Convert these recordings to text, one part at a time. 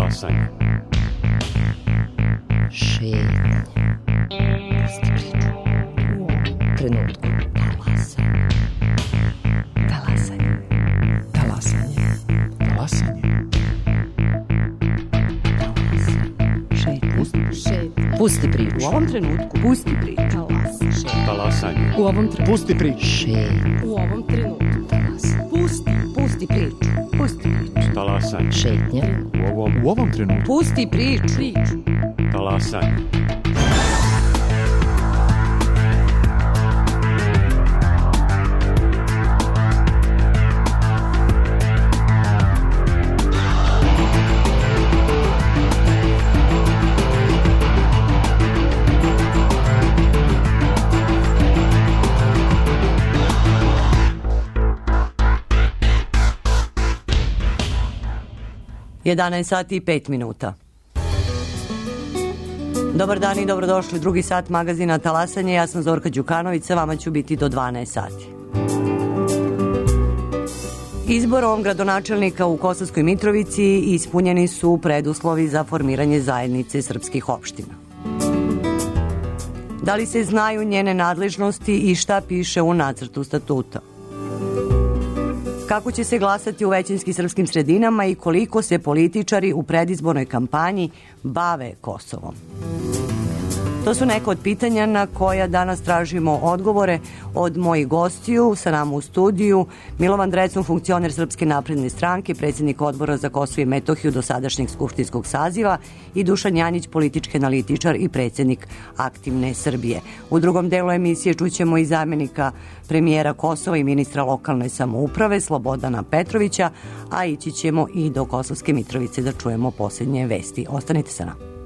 Talasanje. Šetnja. Pusti priču. U ovom trenutku. Talasanje. Talasanje. Talasanje. Šetnja. Pusti priču. U ovom trenutku. Pusti priču. Talasanje. U ovom trenutku. Pusti priču. Šetnja. U ovom trenutku. Pusti priču. Pusti priču. Talasanje. Šetnja. U ovom trenutku. Pusti priču. Talasanje. Jedanaest sati i 5 minuta. Dobar dan i dobrodošli. Drugi sat magazina Talasanje. Ja sam Zorka Đukanović, sa vama ću biti do 12 sati. Izborom gradonačelnika u Kosovskoj Mitrovici ispunjeni su preduslovi za formiranje zajednice srpskih opština. Da li se znaju njene nadležnosti i šta piše u nacrtu statuta? Kako će se glasati u većinskim srpskim sredinama i koliko se političari u predizbornoj kampanji bave Kosovom? To su neka od pitanja na koja danas tražimo odgovore od mojih gostiju. Sa nama u studiju Milovan Drecun, funkcioner Srpske napredne stranke, predsjednik Odbora za Kosovo i Metohiju dosadašnjeg skupštinskog saziva, i Dušan Janjić, politički analitičar i predsjednik Aktivne Srbije. U drugom delu emisije čućemo i zamjenika premijera Kosova i ministra lokalne samouprave Slobodana Petrovića, a ići ćemo i do Kosovske Mitrovice da čujemo posljednje vesti. Ostanite sa nama.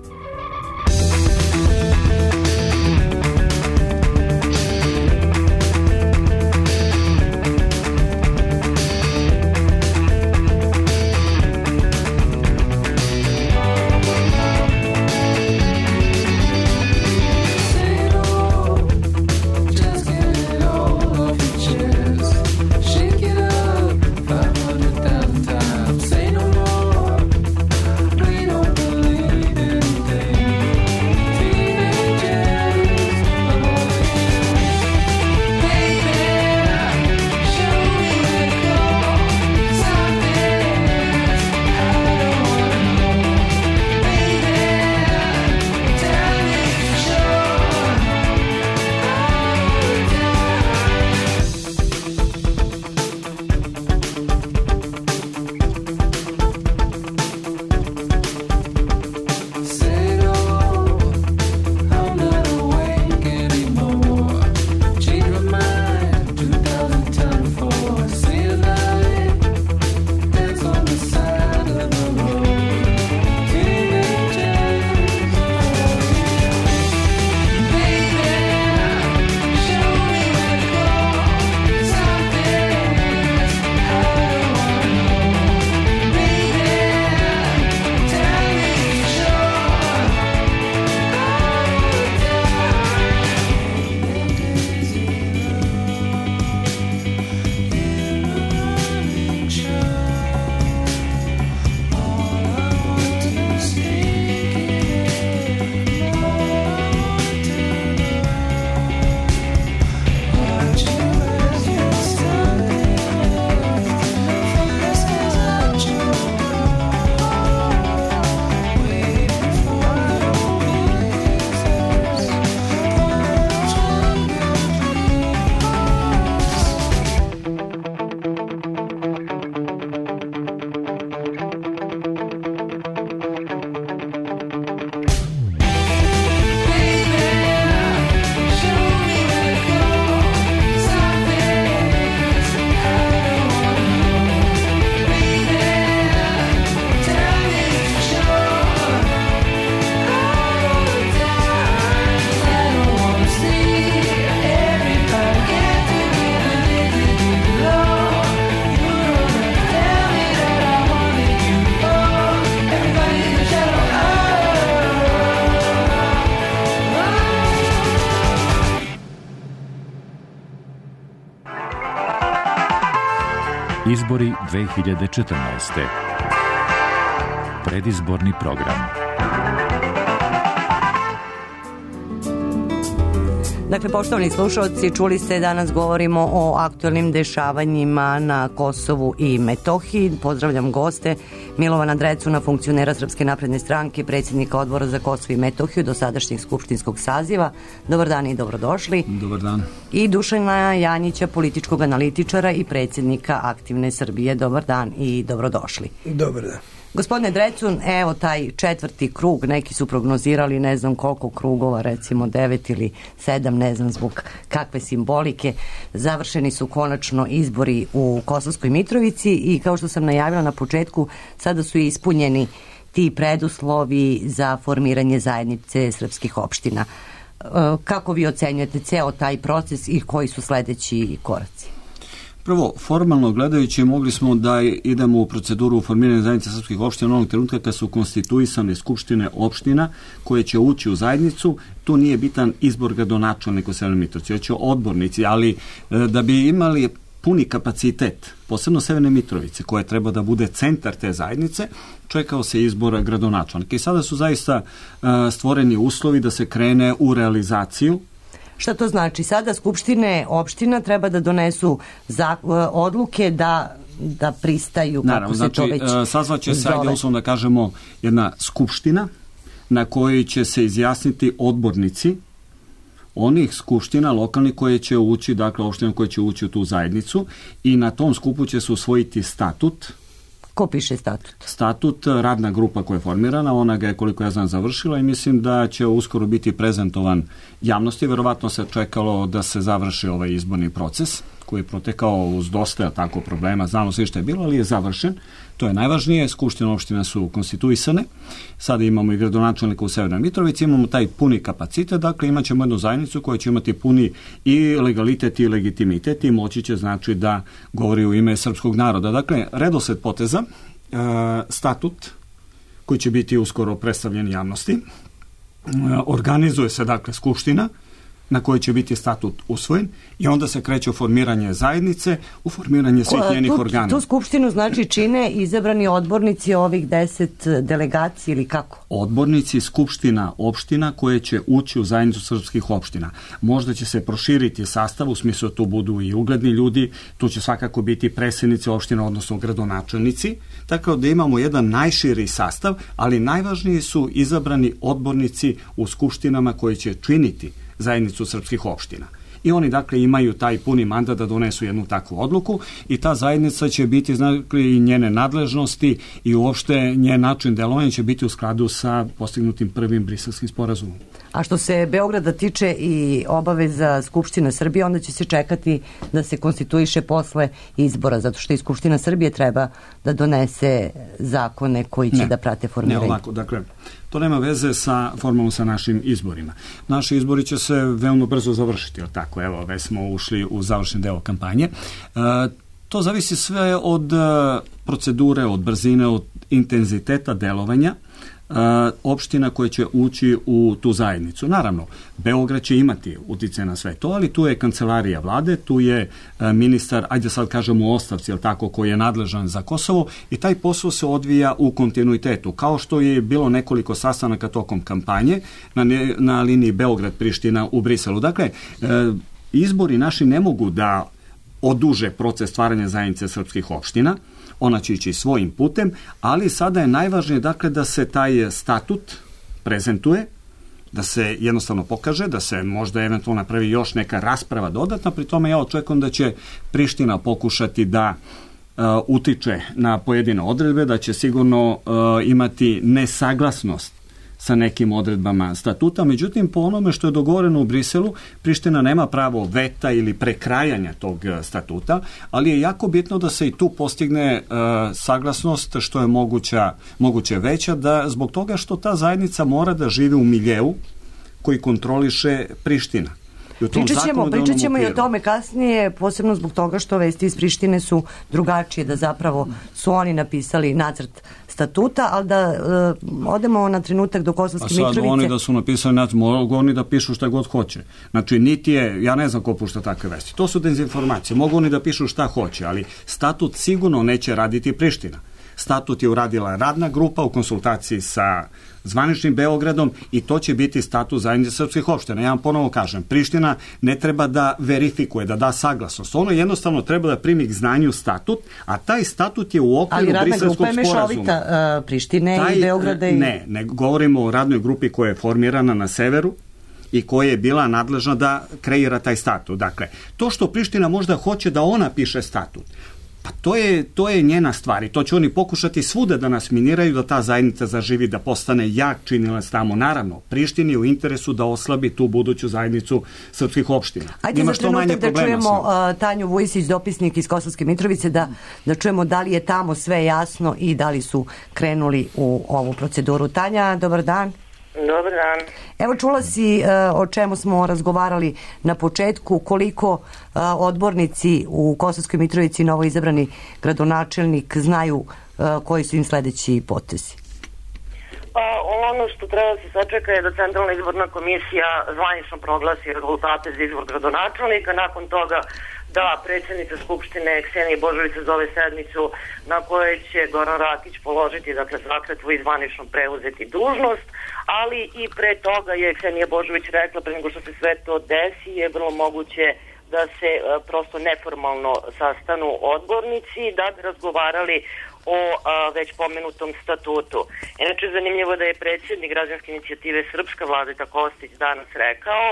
Izbori 2014. Predizborni program. Dakle, poštovani slušalci, čuli ste, danas govorimo o aktualnim dešavanjima na Kosovu i Metohiji. Pozdravljam goste, Milovana Drecuna, funkcionera Srpske napredne stranke, predsjednika Odbora za Kosovo i Metohiju do sadašnjeg skupštinskog saziva. Dobar dan i dobrodošli. Dobar dan. I Dušana Janjića, političkog analitičara i predsjednika Aktivne Srbije. Dobar dan i dobrodošli. Dobar dan. Gospodine Drecun, evo taj četvrti krug, neki su prognozirali ne znam koliko krugova, recimo 9 ili 7, ne znam zbog kakve simbolike. Završeni su konačno izbori u Kosovskoj Mitrovici i kao što sam najavila na početku, sada su ispunjeni ti preduslovi za formiranje zajednice srpskih opština. Kako vi ocenjujete ceo taj proces i koji su sledeći koraci? Prvo, formalno gledajući, mogli smo da idemo u proceduru formiranja zajednice srpskih opština onog trenutka kad su konstituisane skupštine opština koje će ući u zajednicu. Tu nije bitan izbor gradonačelnika u Severnoj Mitrovici, već odbornici, ali da bi imali puni kapacitet, posebno Severne Mitrovice, koja treba da bude centar te zajednice, čekao se izbor gradonačelnika. I sada su zaista stvoreni uslovi da se krene u realizaciju. Šta to znači? Sada skupštine opština treba da donesu odluke da pristaju, kako se to već zove. Sazvaće se, ajde uslovno da kažemo, jedna skupština na kojoj će se izjasniti odbornici onih skupština lokalnih koje će ući, dakle opština koje će ući u tu zajednicu, i na tom skupu će se usvojiti statut. Ko piše statut? Statut, radna grupa koja je formirana, ona ga je, koliko ja znam, završila i mislim da će uskoro biti prezentovan javnosti. Verovatno se čekalo da se završi ovaj izborni proces koji je protekao uz dosta tako problema, znamo sve što je bilo, ali je završen. To je najvažnije, skupštine opština su konstituisane, sada imamo i gradonačelnika u Severnoj Mitrovici, imamo taj puni kapacitet, dakle imat ćemo jednu zajednicu koja će imati puni i legalitet i legitimitet i moći će, znači, da govori u ime srpskog naroda. Dakle, redosled poteza, statut koji će biti uskoro predstavljen javnosti, organizuje se, dakle, skupština na kojoj će biti statut usvojen i onda se kreće u formiranje zajednice, u formiranje svih njenih organa. Tu skupštinu znači čine izabrani odbornici ovih 10 delegacija ili kako? Odbornici skupština opština koje će ući u zajednicu srpskih opština. Možda će se proširiti sastav, u smislu da tu budu i ugledni ljudi, tu će svakako biti predsjednici opština, odnosno gradonačelnici, tako da imamo jedan najširi sastav, ali najvažniji su izabrani odbornici u skupštinama koji će činiti zajednicu srpskih opština. I oni, dakle, imaju taj puni mandat da donesu jednu takvu odluku i ta zajednica će biti, znači, i njene nadležnosti i uopšte njen način delovanja će biti u skladu sa postignutim prvim Briselskim sporazumom. A što se Beograda tiče i obaveza Skupština Srbije, onda će se čekati da se konstituiše posle izbora, zato što i Skupština Srbije treba da donese zakone koji će da prate formiranje. Ne, ovako, dakle, to nema veze formalno sa našim izborima. Naši izbori će se veoma brzo završiti, ali tako, evo, već smo ušli u završni deo kampanje. To zavisi sve od procedure, od brzine, od intenziteta delovanja opština koje će ući u tu zajednicu. Naravno, Beograd će imati uticaj na sve to, ali tu je kancelarija vlade, tu je ministar, ajde sad kažemo u ostavci, tako, koji je nadležan za Kosovo i taj posao se odvija u kontinuitetu, kao što je bilo nekoliko sastanaka tokom kampanje na liniji Beograd-Priština u Briselu. Dakle, izbori naši ne mogu da oduže proces stvaranja zajednice srpskih opština, ona će ići svojim putem, ali sada je najvažnije, dakle, da se taj statut prezentuje, da se jednostavno pokaže, da se možda eventualno napravi još neka rasprava dodatna, pri tome ja očekujem da će Priština pokušati da utiče na pojedine odredbe, da će sigurno imati nesaglasnost sa nekim odredbama statuta, međutim, po onome što je dogovoreno u Briselu, Priština nema pravo veta ili prekrajanja tog statuta, ali je jako bitno da se i tu postigne saglasnost što je moguće veća, da zbog toga što ta zajednica mora da živi u miljeu koji kontroliše Priština. Pričat ćemo i o tome kasnije, posebno zbog toga što vesti iz Prištine su drugačije, da zapravo su oni napisali nacrt statuta, ali da odemo na trenutak do Kosovske Mitrovice. A sad oni da su napisali nacrt, mogu oni da pišu šta god hoće. Znači, niti je, ja ne znam ko pušta takve vesti. To su dezinformacije. Mogu oni da pišu šta hoće, ali statut sigurno neće raditi Priština. statut je uradila radna grupa u konsultaciji sa zvaničnim Beogradom i to će biti statut zajednice srpskih opština. Ja vam ponovo kažem, Priština ne treba da verifikuje, da da saglasnost. Ono jednostavno treba da primi k znanju statut, a taj statut je u okviru Briselskog sporazuma. Ali radna grupa je mešovita Prištine i Beograda i... Ne govorimo o radnoj grupi koja je formirana na severu i koja je bila nadležna da kreira taj statut. Dakle, to što Priština možda hoće da ona piše statut, pa to je njena stvar i to će oni pokušati svuda da nas miniraju, da ta zajednica zaživi, da postane jak činilac tamo. Naravno, Prištini je u interesu da oslabi tu buduću zajednicu srpskih opština. Ajde za trenutak da čujemo Tanju Vujisić, dopisnik iz Kosovske Mitrovice, da čujemo da li je tamo sve jasno i da li su krenuli u ovu proceduru. Tanja, dobar dan. Dobar dan. Evo, čula si o čemu smo razgovarali na početku, koliko odbornici u Kosovskoj Mitrovici, novoizabrani gradonačelnik, znaju koji su im sledeći potezi? Pa ono što treba se sačeka je da Centralna izborna komisija zvanično proglasi rezultate za izbor gradonačelnika, nakon toga da predsjednica Skupštine Ksenija Božović zove sednicu na kojoj će Goran Rakić položiti, dakle, zakletvu i zvanično preuzeti dužnost, ali i pre toga je Ksenija Božović rekla, pre nego što se sve to desi, je vrlo moguće da se prosto neformalno sastanu odbornici da bi razgovarali o već pomenutom statutu. Inače, zanimljivo da je predsjednik građanske inicijative Srpska Vladeta Kostić danas rekao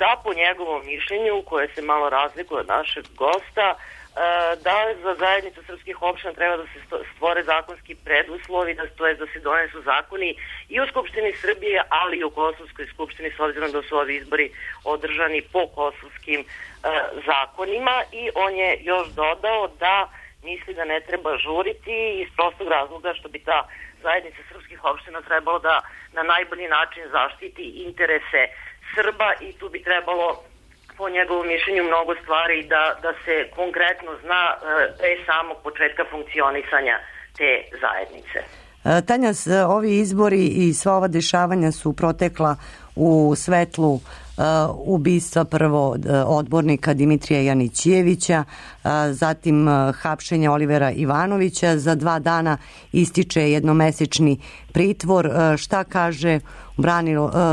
da po njegovom mišljenju, koje se malo razlikuje od našeg gosta, da za zajednicu srpskih opština treba da se stvore zakonski preduslovi, to je da se donesu zakoni i u Skupštini Srbije, ali i u Kosovskoj skupštini, s obzirom da su ovi izbori održani po kosovskim zakonima, i on je još dodao da misli da ne treba žuriti iz prostog razloga što bi ta zajednica srpskih opština trebalo da na najbolji način zaštiti interese Srba i tu bi trebalo po njegovom mišljenju mnogo stvari da se konkretno zna pre samog početka funkcionisanja te zajednice. Tanja, ovi izbori i sva ova dešavanja su protekla u svetlu ubistva prvo odbornika Dimitrija Janićijevića, zatim hapšenja Olivera Ivanovića. Za 2 dana ističe jednomesečni pritvor. Šta kaže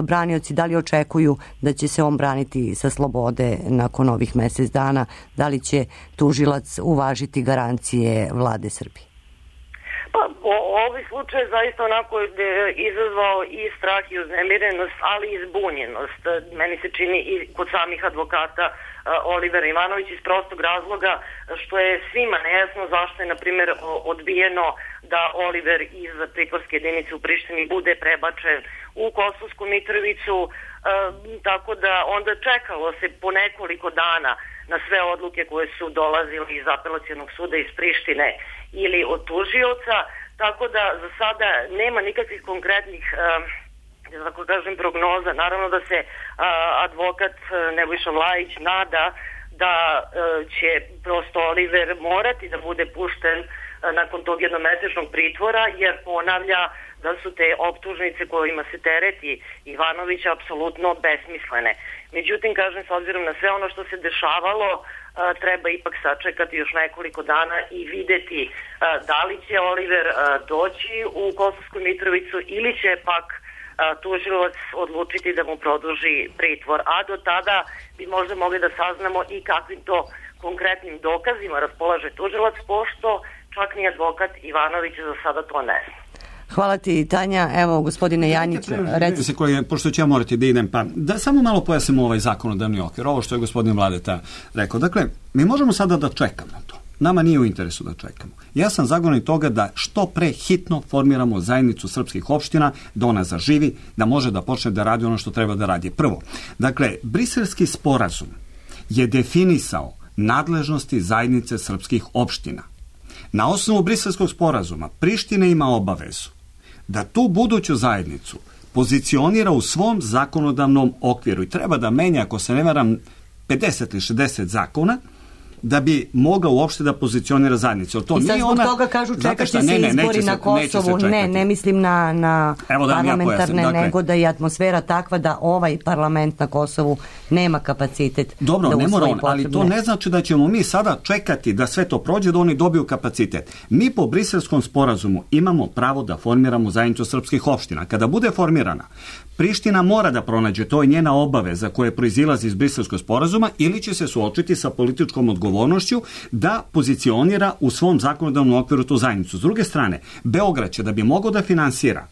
branioci, da li očekuju da će se on braniti sa slobode nakon ovih mesec dana? Da li će tužilac uvažiti garancije vlade Srbije? Pa, ovaj slučaj zaista onako je izazvao i strah i uznemirenost, ali i zbunjenost. Meni se čini i kod samih advokata Olivera Ivanovića iz prostog razloga što je svima nejasno zašto je, na primjer, odbijeno da Oliver iz pritvorske jedinice u Prištini bude prebačen u Kosovsku Mitrovicu, tako da onda čekalo se po nekoliko dana na sve odluke koje su dolazile iz apelacionog suda iz Prištine ili od tužioca, tako da za sada nema nikakvih konkretnih tako kažem prognoza. Naravno da se advokat Nebojša Vlajić nada da će prosto Oliver morati da bude pušten nakon tog jednomesečnog pritvora, jer ponavlja da su te optužnice kojima se tereti Ivanović apsolutno besmislene. Međutim, kažem, s obzirom na sve ono što se dešavalo, treba ipak sačekati još nekoliko dana i videti da li će Oliver doći u Kosovsku Mitrovicu ili će pak tužilac odlučiti da mu produži pritvor. A do tada bi možda mogli da saznamo i kakvim to konkretnim dokazima raspolaže tužilac, pošto čak ni advokat Ivanović za sada to ne zna. Hvala ti, Tanja. Evo, gospodine Janjiću, recite. Pošto ću ja morati da idem, pa da samo malo pojasnimo ovaj zakonodavni okvir, ovo što je gospodin Vladeta rekao. Dakle, mi možemo sada da čekamo to. Nama nije u interesu da čekamo. Ja sam zagovornik toga da što pre hitno formiramo zajednicu srpskih opština, da ona zaživi, da može da počne da radi ono što treba da radi. Prvo, dakle, Briselski sporazum je definisao nadležnosti zajednice srpskih opština. Na osnovu Briselskog sporazuma Priština ima obavezu da tu buduću zajednicu pozicionira u svom zakonodavnom okviru i treba da menja, ako se ne varam, 50 ili 60 zakona da bi mogla uopšte da pozicionira zajednicu. I sad zbog toga kažu čekat će se izbori na Kosovu. Ne mislim na parlamentarne, nego da je atmosfera takva da ovaj parlament na Kosovu nema kapacitet da usvoji potrebne. Dobro, ali to ne znači da ćemo mi sada čekati da sve to prođe, da oni dobiju kapacitet. Mi po Briselskom sporazumu imamo pravo da formiramo zajednicu srpskih opština. Kada bude formirana, Priština mora da pronađe, to je njena obaveza koja proizilazi iz Briselskog sporazuma, ili će se suočiti sa političkom odgovornošću da pozicionira u svom zakonodavnom okviru tu zajednicu. S druge strane, Beograd će da bi mogao da finansira,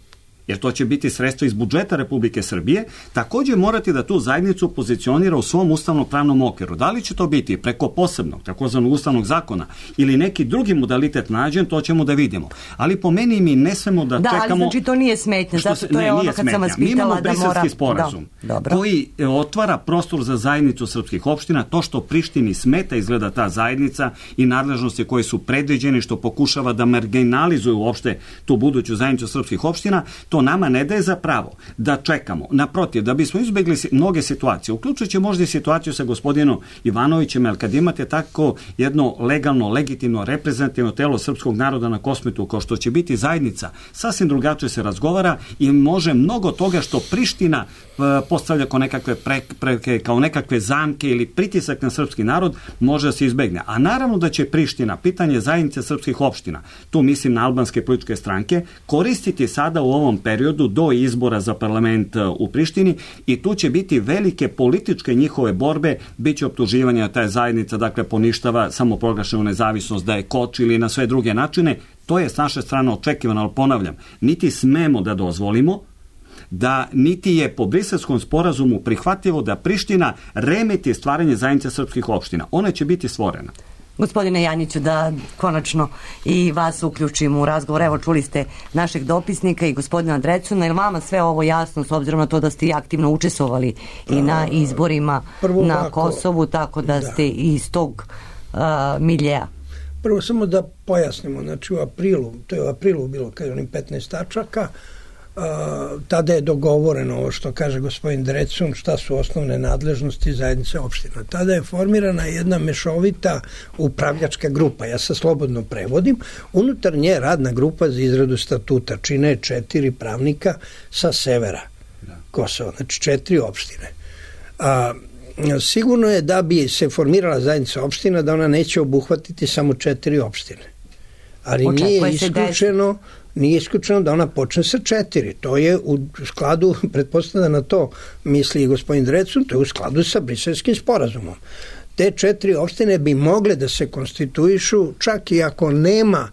jer to će biti sredstvo iz budžeta Republike Srbije, također morati da tu zajednicu pozicionira u svom ustavno-pravnom okviru. Da li će to biti preko posebnog, takozvanog ustavnog zakona, ili neki drugi modalitet nađen, to ćemo da vidimo. Ali po meni mi ne smemo da čekamo... Da, ali znači to nije smetnja, zato to je ono kad sam vas pitala da mora... Mi imamo Briselski sporazum, koji otvara prostor za zajednicu srpskih opština, to što Prištini smeta izgleda ta zajednica i nadležnosti koje su predviđene, što pokušava da marginalizuju uopšte tu buduću zajednicu srpskih opština, to nama ne daje za pravo da čekamo. Naprotiv, da bismo izbjegli mnoge situacije, uključujući možda i situaciju sa gospodinom Ivanovićem, jer kad imate tako jedno legalno, legitimno, reprezentativno telo srpskog naroda na Kosmetu, kao što će biti zajednica, sasvim drugačije se razgovara i može mnogo toga što Priština postavlja kao nekakve prepreke, kao nekakve zamke ili pritisak na srpski narod, može da se izbegne. A naravno da će Priština, pitanje zajednice srpskih opština, tu mislim na albanske političke stranke, koristiti sada u ovom periodu do izbora za parlament u Prištini i tu će biti velike političke njihove borbe, bit će optuživanja da ta zajednica, dakle, poništava samoproglašenu nezavisnost, da je koči ili na sve druge načine. To je s naše strane očekivano, ali ponavljam, niti smemo da dozvolimo da niti je po Briselskom sporazumu prihvatljivo da Priština remeti stvaranje zajednice srpskih opština. Ona će biti stvorena. Gospodine Janjiću, da konačno i vas uključimo u razgovor. Evo, čuli ste našeg dopisnika i gospodina Drecuna. Je li vama sve ovo jasno, s obzirom na to da ste i aktivno učestvovali i na izborima na Kosovu, tako da ste iz tog miljeja? Prvo samo da pojasnimo, znači u aprilu, to je u aprilu bilo kad je onim 15 tačaka, tada je dogovoreno ovo što kaže gospodin Drecun, šta su osnovne nadležnosti zajednice opština. Tada je formirana jedna mešovita upravljačka grupa, ja se slobodno prevodim, unutar nje radna grupa za izradu statuta, čine 4 pravnika sa severa Kosova, znači 4 opštine. Sigurno je da bi se formirala zajednica opština, da ona neće obuhvatiti samo 4 opštine. Ali nije isključeno da ona počne sa 4. To je u skladu, pretpostavljam na to misli i gospodin Drecun, to je u skladu sa Briselskim sporazumom. Te 4 opštine bi mogle da se konstituišu čak i ako nema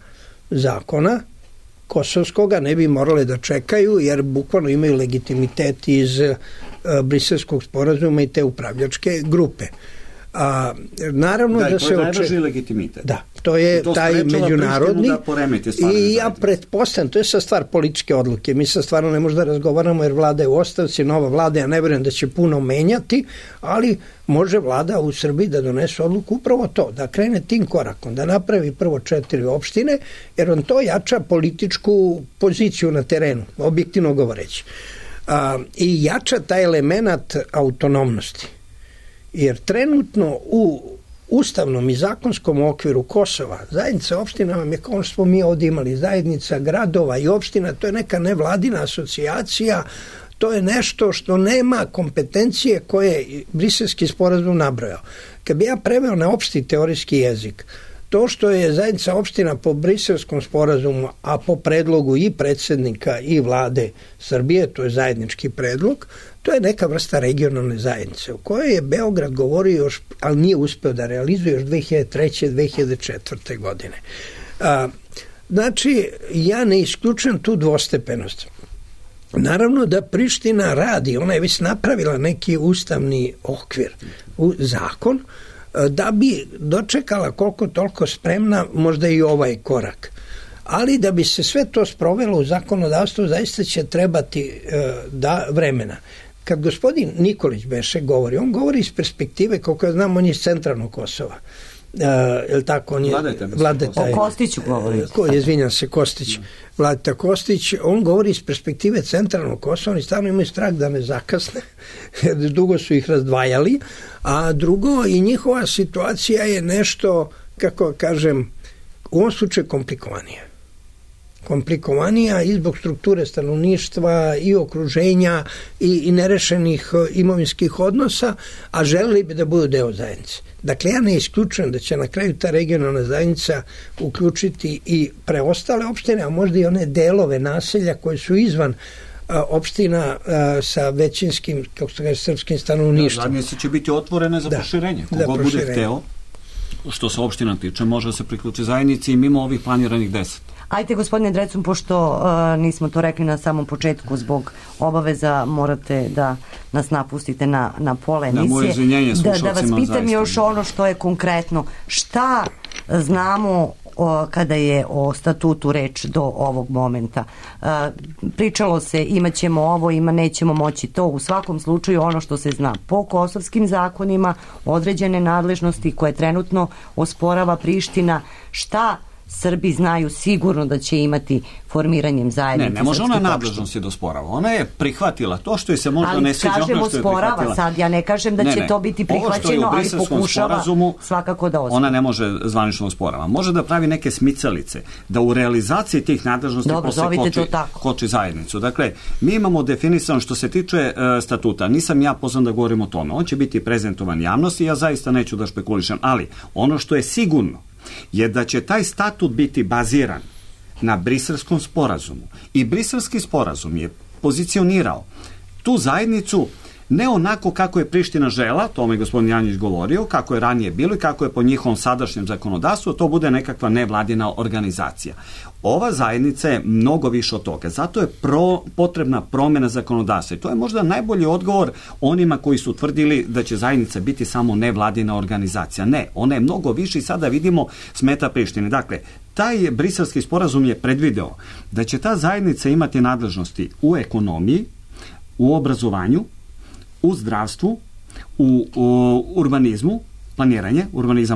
zakona kosovskoga, ne bi morale da čekaju, jer bukvalno imaju legitimitet iz Briselskog sporazuma i te upravljačke grupe. Naravno da se najvažniji legitimitet. Da, to je taj međunarodni i ja pretpostavljam, to je sad stvar političke odluke. Mi sad stvarno ne možemo da razgovaramo jer vlada je u ostavci, nova vlada, ja ne vjerujem da će puno menjati, ali može vlada u Srbiji da donese odluku upravo to, da krene tim korakom, da napravi prvo 4 opštine, jer on to jača političku poziciju na terenu, objektivno govoreći. I jača taj element autonomnosti. Jer trenutno u ustavnom i zakonskom okviru Kosova zajednica opština vam je, kao što smo mi ovdje imali, zajednica gradova i opština, to je neka nevladina asocijacija, to je nešto što nema kompetencije koje je Briselski sporazum nabrojao. Kad bi ja preveo na opšti teorijski jezik, to što je zajednica opština po Briselskom sporazumu, a po predlogu i predsjednika i vlade Srbije, to je zajednički predlog, to je neka vrsta regionalne zajednice u kojoj je Beograd govorio još, ali nije uspeo da realizuje još 2003. 2004. godine. Znači, ja ne isključujem tu dvostepenost. Naravno da Priština radi, ona je već napravila neki ustavni okvir, zakon, da bi dočekala koliko toliko spremna možda i ovaj korak. Ali da bi se sve to sprovelo u zakonodavstvu, zaista će trebati vremena. Kad gospodin Nikolić beše govori, on govori iz perspektive, koliko ja znam, on je iz centralnog Kosova. je li tako, on je Vladeta, o Kostiću govori. Izvinjam se, Kostić. Vladeta Kostić, on govori iz perspektive centralnog Kosova, oni stvarno imaju strah da ne zakasne, jer dugo su ih razdvajali, a drugo, i njihova situacija je nešto, kako kažem, u ovom slučaju komplikovanija i zbog strukture stanovništva i okruženja i nerešenih imovinskih odnosa, a želeli bi da budu deo zajednice. Dakle, ja ne isključujem da će na kraju ta regionalna zajednica uključiti i preostale opštine, a možda i one delove naselja koje su izvan opština sa većinskim, kako se kaže, srpskim stanovništvom. Zajednice će biti otvorene za proširenje. Kogod bude hteo, što se opština tiče, može da se priključi zajednici i mimo ovih planiranih 10. Ajde, gospodine Drecun, pošto nismo to rekli na samom početku, zbog obaveza morate da nas napustite na pola emisije. Da vas pitam još ono što je konkretno. Šta znamo kada je o statutu reč do ovog momenta? Pričalo se imaćemo ovo, nećemo moći to. U svakom slučaju ono što se zna po kosovskim zakonima, određene nadležnosti koje trenutno osporava Priština, šta Srbi znaju sigurno da će imati formiranjem zajednice. Ne može ona nadležnosti da osporava. Ona je prihvatila to što je se možda ne sviđa. Ali kažemo osporava sad, ja ne kažem da će to biti prihvaćeno, ali pokušava svakako da osporava. Ona ne može zvanično osporava. Može da pravi neke smicalice, da u realizaciji tih nadležnosti koči zajednicu. Dakle, mi imamo definisano što se tiče statuta. Nisam ja pozvan da govorim o tome. On će biti prezentovan javnosti, ja zaista neću da špekulišem, ali ono što je sigurno je da će taj statut biti baziran na Briselskom sporazumu. I Briselski sporazum je pozicionirao tu zajednicu ne onako kako je Priština žela, tome je gospodin Janjić govorio, kako je ranije bilo i kako je po njihovom sadašnjem zakonodavstvu, to bude nekakva nevladina organizacija. Ova zajednica je mnogo više od toga. Zato je potrebna promjena zakonodavstva. I to je možda najbolji odgovor onima koji su tvrdili da će zajednica biti samo nevladina organizacija. Ne, ona je mnogo više i sada vidimo smeta Prištine. Dakle, taj Briselski sporazum je predvideo da će ta zajednica imati nadležnosti u ekonomiji, u obrazovanju, u zdravstvu, u urbanizmu,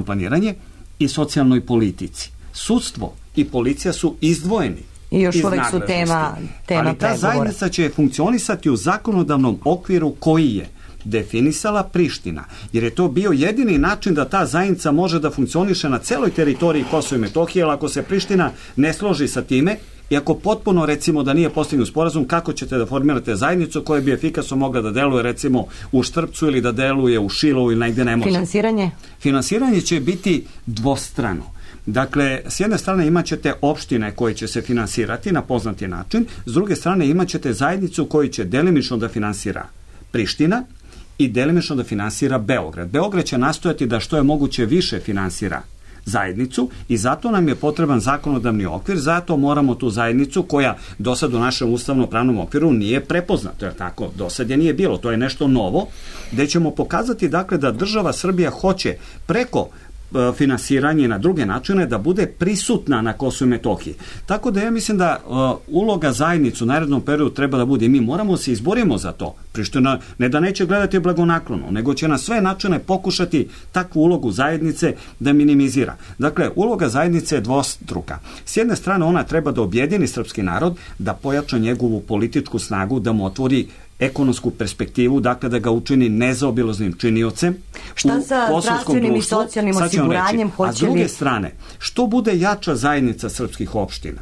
planiranje i socijalnoj politici. Sudstvo i policija su izdvojeni. I još uvek su tema ali ta zajednica će funkcionisati u zakonodavnom okviru koji je definisala Priština, jer je to bio jedini način da ta zajednica može da funkcioniše na celoj teritoriji Kosova i Metohije, ali ako se Priština ne složi sa time, i ako potpuno, recimo, da nije postignut sporazum, kako ćete da formirate zajednicu koja bi efikasno mogla da deluje, recimo, u Štrpcu ili da deluje u Šilovu ili negde ne može? Finansiranje će biti dvostrano. Dakle, s jedne strane imat ćete opštine koje će se finansirati na poznati način, s druge strane imat ćete zajednicu koju će delimično da finansira Priština i delimično da finansira Beograd. Beograd će nastojati da što je moguće više finansira zajednicu i zato nam je potreban zakonodavni okvir, zato moramo tu zajednicu koja do sad u našem ustavno-pravnom okviru nije prepoznata, jer tako do sad je nije bilo, to je nešto novo, gde ćemo pokazati dakle da država Srbija hoće preko finansiranje na druge načine da bude prisutna na Kosovu i Metohiji. Tako da ja mislim da uloga zajednice u narednom periodu treba da bude i mi moramo se izborimo za to. Priština ne da neće gledati blagonaklono, nego će na sve načine pokušati takvu ulogu zajednice da minimizira. Dakle, uloga zajednice je dvostruka. S jedne strane ona treba da objedini srpski narod, da pojača njegovu političku snagu, da mu otvori ekonomsku perspektivu, dakle da ga učini nezaobilaznim činiocem. Šta sa zdravstvenim i socijalnim osiguranjem? A s druge strane, što bude jača zajednica srpskih opština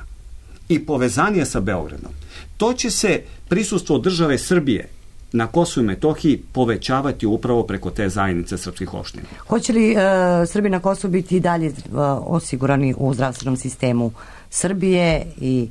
i povezanje sa Beogradom, to će se prisustvo države Srbije na Kosovu i Metohiji povećavati upravo preko te zajednice srpskih opština. Hoće li Srbi na Kosovu biti i dalje osigurani u zdravstvenom sistemu Srbije i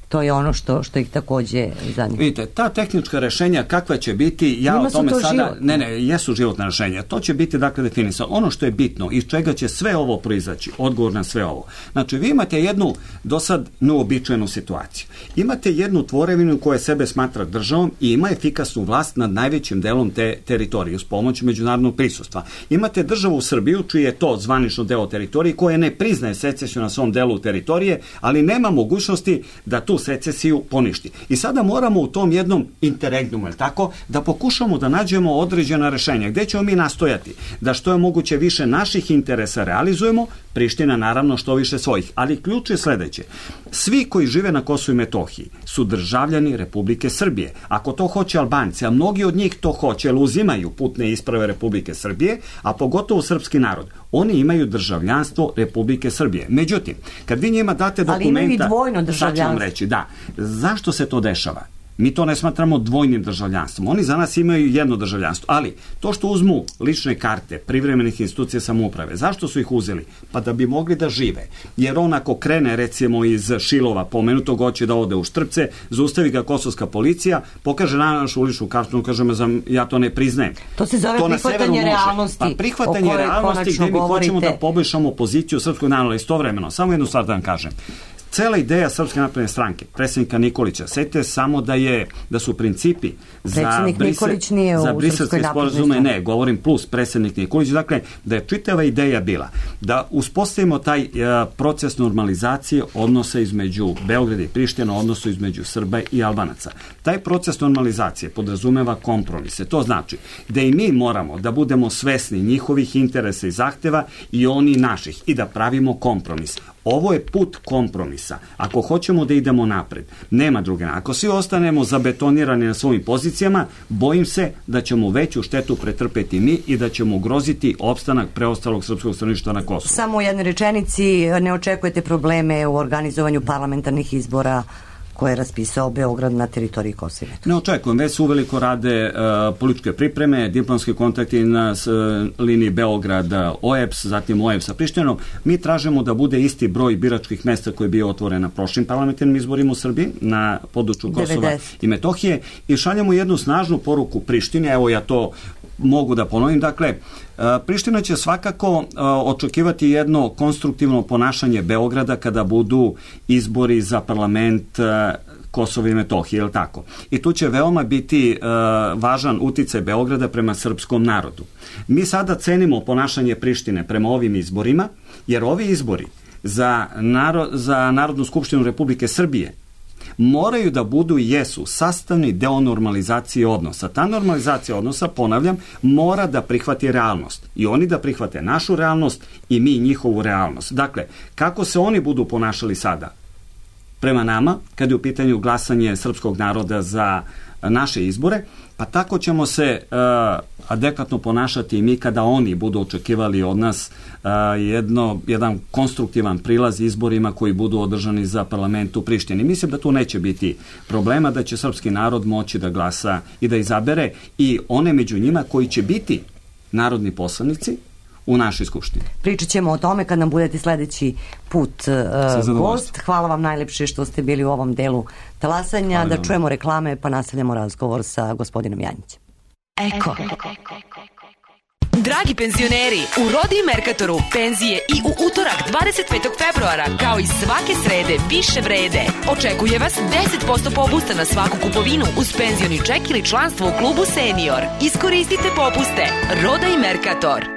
to je ono što ih takođe zanima. Vidite, ta tehnička rešenja kakva će biti, ja o tome sada... Jesu životna rešenja. To će biti, dakle, definisano. Ono što je bitno, iz čega će sve ovo proizaći, odgovor na sve ovo. Znači, vi imate jednu do sad neobičajenu situaciju. Imate jednu tvorevinu koja sebe smatra državom i ima efikasnu vlast nad najvećim delom te teritorije uz pomoć međunarodnog prisustva. Imate državu Srbiju, čiji je to zvanično deo teritorije, koja ne priznaje secesiju na svom delu teritorije, ali nema mogućnosti da tu tu secesiju poništi. I sada moramo u tom jednom interregnumu, tako, da pokušamo da nađemo određena rešenja. Gde ćemo mi nastojati? Da što je moguće više naših interesa realizujemo, Priština naravno što više svojih. Ali ključ je sledeće. Svi koji žive na Kosovu i Metohiji su državljani Republike Srbije. Ako to hoće Albanci, a mnogi od njih to hoće, jer uzimaju putne isprave Republike Srbije, a pogotovo srpski narod, oni imaju državljanstvo Republike Srbije. Međutim, kad vi njima date dokumenta... Ali imaju i dvojno državljanstvo. Sad ću vam reći, da. Zašto se to dešava? Mi to ne smatramo dvojnim državljanstvom. Oni za nas imaju jedno državljanstvo. Ali to što uzmu lične karte privremenih institucija samouprave, zašto su ih uzeli? Pa da bi mogli da žive. Jer on ako krene recimo iz Šilova pomenutog, hoće da ode u Štrpce, zaustavi ga kosovska policija, pokaže na našu ličnu kartu, kaže ja to ne priznajem. To se zove prihvatanje realnosti. Pa prihvatanje realnosti gde mi hoćemo da poboljšamo poziciju srpskog naroda istovremeno. Samo jednu stvar da vam kažem. Cela ideja Srpske napredne stranke, predsjednika Nikolića, setite samo da su principi za briselske sporazume, ne, govorim plus predsjednik Nikolić, dakle, da je čitava ideja bila da uspostavimo taj proces normalizacije odnosa između Beograda i Prištine, odnosu između Srba i Albanaca. Taj proces normalizacije podrazumeva kompromise. To znači da i mi moramo da budemo svesni njihovih interesa i zahteva i oni naših i da pravimo kompromis. Ovo je put kompromisa. Ako hoćemo da idemo napred, nema druge. Ako svi ostanemo zabetonirani na svojim pozicijama, bojim se da ćemo veću štetu pretrpeti mi i da ćemo ugroziti opstanak preostalog srpskog stanovništva na Kosovu. Samo u jednoj rečenici, ne očekujete probleme u organizovanju parlamentarnih izbora koje je raspisao Beograd na teritoriji Kosova? Ne očekujem, već su uveliko rade političke pripreme, diplomski kontakti na liniji Beograd-OEBS, zatim OEBS sa Prištinom. Mi tražimo da bude isti broj biračkih mesta koji je bio otvoren na prošlim parlamentarnim izborima u Srbiji, na području Kosova i Metohije, i šaljemo jednu snažnu poruku Prištini, evo ja to mogu da ponovim, dakle, Priština će svakako očekivati jedno konstruktivno ponašanje Beograda kada budu izbori za parlament Kosova i Metohije, je li tako? I tu će veoma biti važan uticaj Beograda prema srpskom narodu. Mi sada cenimo ponašanje Prištine prema ovim izborima, jer ovi izbori za Narodnu skupštinu Republike Srbije moraju da budu i jesu sastavni deo normalizacije odnosa. Ta normalizacija odnosa, ponavljam, mora da prihvati realnost. I oni da prihvate našu realnost i mi njihovu realnost. Dakle, kako se oni budu ponašali sada prema nama, kad je u pitanju glasanje srpskog naroda za naše izbore, pa tako ćemo se adekvatno ponašati i mi kada oni budu očekivali od nas jedan konstruktivan prilaz izborima koji budu održani za parlament u Prištini. Mislim da tu neće biti problema, da će srpski narod moći da glasa i da izabere i one među njima koji će biti narodni poslanici u našoj skupštini. Pričat ćemo o tome kad nam budete sledeći put gost. Hvala vam najlepše što ste bili u ovom delu talasanja. Da čujemo reklame pa nastavljamo razgovor sa gospodinom Janjićem. Eko. Dragi penzioneri, u Rodi i Merkatoru penzije i u utorak 25. februara kao i svake srede više vrede. Očekuje vas 10% popusta na svaku kupovinu uz penzioni ček ili članstvo u klubu Senior. Iskoristite popuste. Roda i Merkator.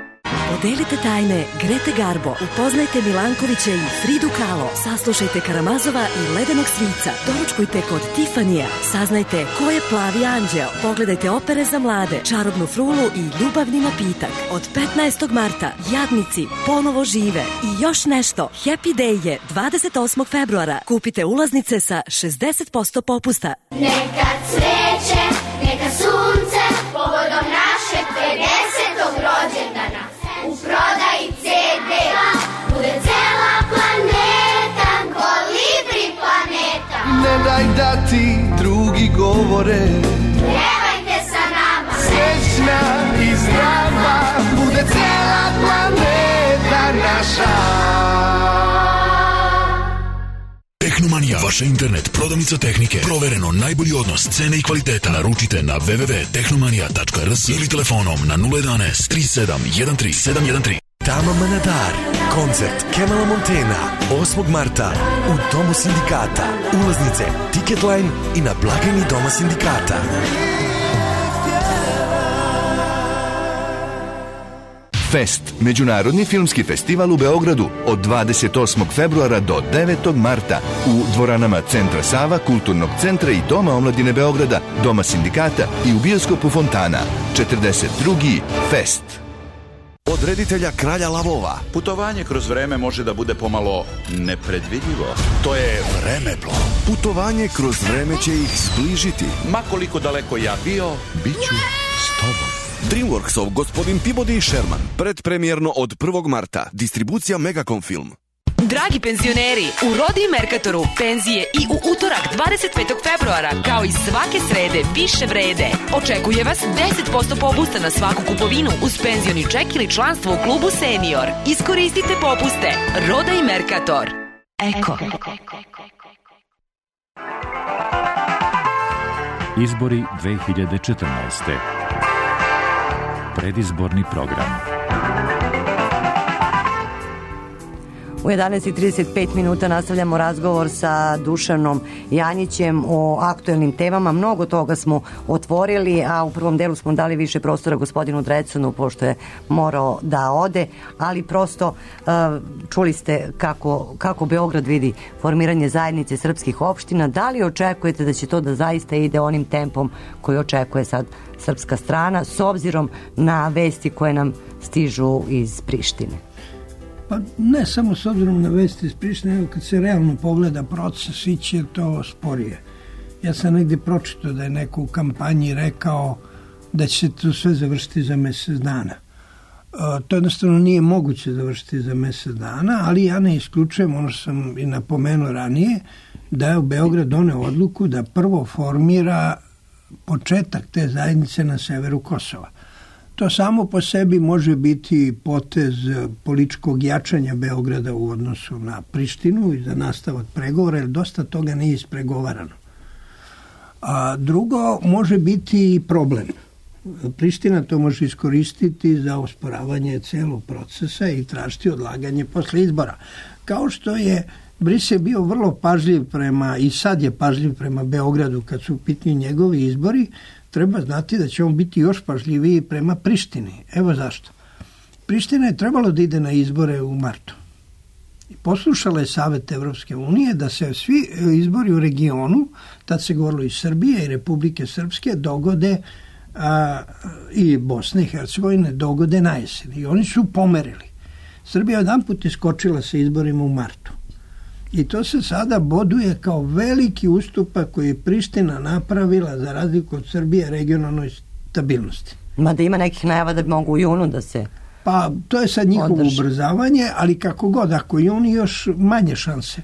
Podelite tajne Grete Garbo, upoznajte Milankovića i Fridu Kahlo, saslušajte Karamazova i Ledenog Svica, doručkujte kod Tifanija, saznajte ko je Plavi anđeo, pogledajte opere za mlade, Čarobnu frulu i Ljubavni napitak. Od 15. marta Jadnici ponovo žive i još nešto. Happy Day je 28. februara. Kupite ulaznice sa 60% popusta. Neka cveće, neka sunce, povodom našeg 50. rođendana. U prodaji CD bude cela planeta, Kolibri planeta. Ne daj da ti drugi govore, pjevajte sa nama. Srećna i zdrava bude cela planeta naša. Tehnomanija, vaša internet prodavnica tehnike. Provereno najbolji odnos cene i kvaliteta. Naručite na www.tehnomanija.rs ili telefonom na 011 37 13 713. Tama Manadar, koncert Kemala Montena 8. marta u Domu sindikata. Ulaznice Ticketline i na blagajni Doma sindikata. Fest, međunarodni filmski festival u Beogradu od 28. februara do 9. marta u dvoranama Centra Sava, Kulturnog centra i Doma omladine Beograda, Doma sindikata i u bioskopu Fontana. 42. Fest. Od reditelja Kralja lavova. Putovanje kroz vreme može da bude pomalo nepredvidljivo. To je Vremeplov. Putovanje kroz vreme će ih zbližiti. Ma koliko daleko ja bio, bit ću s tobom. DreamWorksov Gospodin Peabody i Sherman. Predpremjerno od 1. marta. Distribucija Megacom Film. Dragi penzioneri, u Rodi i Merkatoru penzije i u utorak 25. februara, kao i svake srede, više vrede. Očekuje vas 10% popusta na svaku kupovinu uz penzioni ček ili članstvo u klubu Senior. Iskoristite popuste. Roda i Merkator. Eko. Izbori 2014. Predizborni program. U 11:35 minuta nastavljamo razgovor sa Dušanom Janjićem o aktuelnim temama. Mnogo toga smo otvorili, a u prvom delu smo dali više prostora gospodinu Drecunu, pošto je morao da ode, ali prosto čuli ste kako Beograd vidi formiranje zajednice srpskih opština. Da li očekujete da će to da zaista ide onim tempom koji očekuje sad srpska strana, s obzirom na vesti koje nam stižu iz Prištine? Pa ne samo s obzirom na vesti iz Prištine, nego kad se realno pogleda proces, iće to sporije. Ja sam negdje pročitao da je neko u kampanji rekao da će se to sve završiti za mjesec dana. To jednostavno nije moguće završiti za mjesec dana, ali ja ne isključujem, ono što sam i napomenuo ranije, da je u Beograd doneo odluku da prvo formira početak te zajednice na severu Kosova. To samo po sebi može biti potez političkog jačanja Beograda u odnosu na Prištinu i za nastavak pregovora, jer dosta toga nije ispregovarano. A drugo, može biti i problem. Priština to može iskoristiti za osporavanje celog procesa i tražiti odlaganje posle izbora. Kao što je Brisel bio vrlo pažljiv i sad je pažljiv prema Beogradu kad su u pitanju njegovi izbori, treba znati da će on biti još pažljiviji prema Prištini. Evo zašto. Priština je trebalo da ide na izbore u martu. I poslušala je Savet Evropske unije da se svi izbori u regionu, tad se govorilo i Srbije i Republike Srpske, dogode i Bosne i Hercegovine dogode na jesen. I oni su pomerili. Srbija jedanput iskočila sa izborima u martu. I to se sada boduje kao veliki ustupak koji je Priština napravila za razliku od Srbije regionalnoj stabilnosti. Mada ima nekih najava da bi mogu u junu da se Pa to je sad njihovo ubrzavanje, ali kako god, ako i oni još manje šanse.